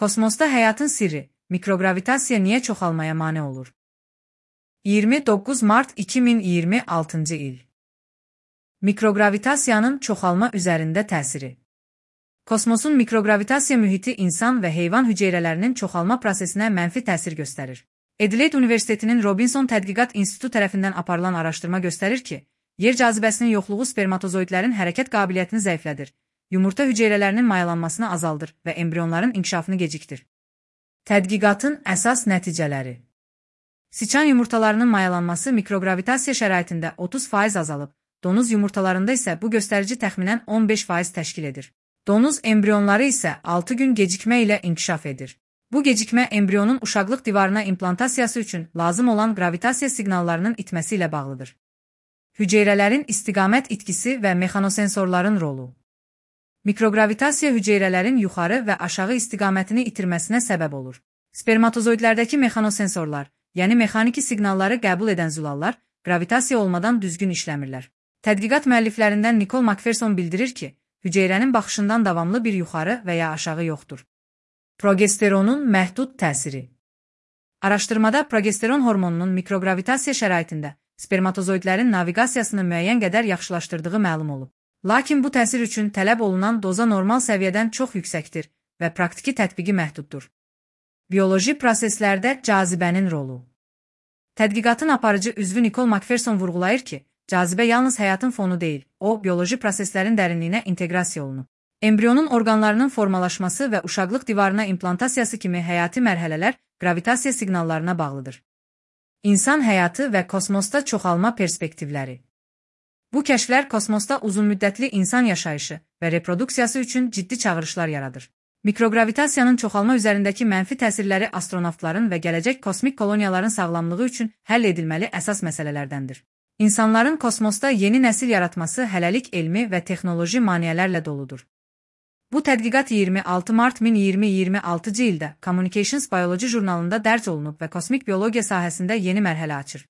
Kosmosda həyatın sirri, mikrogravitasiya niyə çoxalmaya mane olur? 29 Mart 2026 il. Mikrogravitasiyanın çoxalma üzərində təsiri. Kosmosun mikrogravitasiya mühiti insan və heyvan hüceyrələrinin çoxalma prosesinə mənfi təsir göstərir. Adelaide Universitetinin Robinson Tədqiqat İnstitutu tərəfindən aparılan araşdırma göstərir ki, yer cazibəsinin yoxluğu spermatozoidlərin hərəkət qabiliyyətini zəiflədir, yumurta hüceyrələrinin mayalanmasını azaldır və embrionların inkişafını gecikdir. Tədqiqatın əsas nəticələri. Siçan yumurtalarının mayalanması mikrogravitasiya şəraitində 30% azalıb, donuz yumurtalarında isə bu göstərici təxminən 15% təşkil edir. Donuz embrionları isə 6 gün gecikmə ilə inkişaf edir. Bu gecikmə embrionun uşaqlıq divarına implantasiyası üçün lazım olan gravitasiya siqnallarının itməsi ilə bağlıdır. Hüceyrələrin istiqamət itkisi və mexanosensorların rolu. Mikrogravitasiya hüceyrələrin yuxarı və aşağı istiqamətini itirməsinə səbəb olur. Spermatozoidlərdəki mexanosensorlar, yəni mexaniki siqnalları qəbul edən zülallar, gravitasiya olmadan düzgün işləmirlər. Tədqiqat müəlliflərindən Nicole Macpherson bildirir ki, hüceyrənin baxışından davamlı bir yuxarı və ya aşağı yoxdur. Progesteronun məhdud təsiri. Araşdırmada progesteron hormonunun mikrogravitasiya şəraitində spermatozoidlərin naviqasiyasını müəyyən qədər yaxşılaşdırdığı məlum olub. Lakin bu təsir üçün tələb olunan doza normal səviyyədən çox yüksəkdir və praktiki tətbiqi məhduddur. Bioloji proseslərdə cazibənin rolu. Tədqiqatın aparıcı üzvü Nicole Macpherson vurğulayır ki, cazibə yalnız həyatın fonu deyil, o, bioloji proseslərin dərinliyinə inteqrasiya olunub. Embrionun orqanlarının formalaşması və uşaqlıq divarına implantasiyası kimi həyati mərhələlər gravitasiya siqnallarına bağlıdır. İnsan həyatı və kosmosda çoxalma perspektivləri. Bu kəşflər kosmosda uzunmüddətli insan yaşayışı və reproduksiyası üçün ciddi çağırışlar yaradır. Mikrogravitasiyanın çoxalma üzərindəki mənfi təsirləri astronavtların və gələcək kosmik koloniyaların sağlamlığı üçün həll edilməli əsas məsələlərdəndir. İnsanların kosmosda yeni nəsil yaratması hələlik elmi və texnoloji maneələrlə doludur. Bu tədqiqat 26 Mart 2026 ildə Communications Biology jurnalında dərc olunub və kosmik biologiya sahəsində yeni mərhələ açır.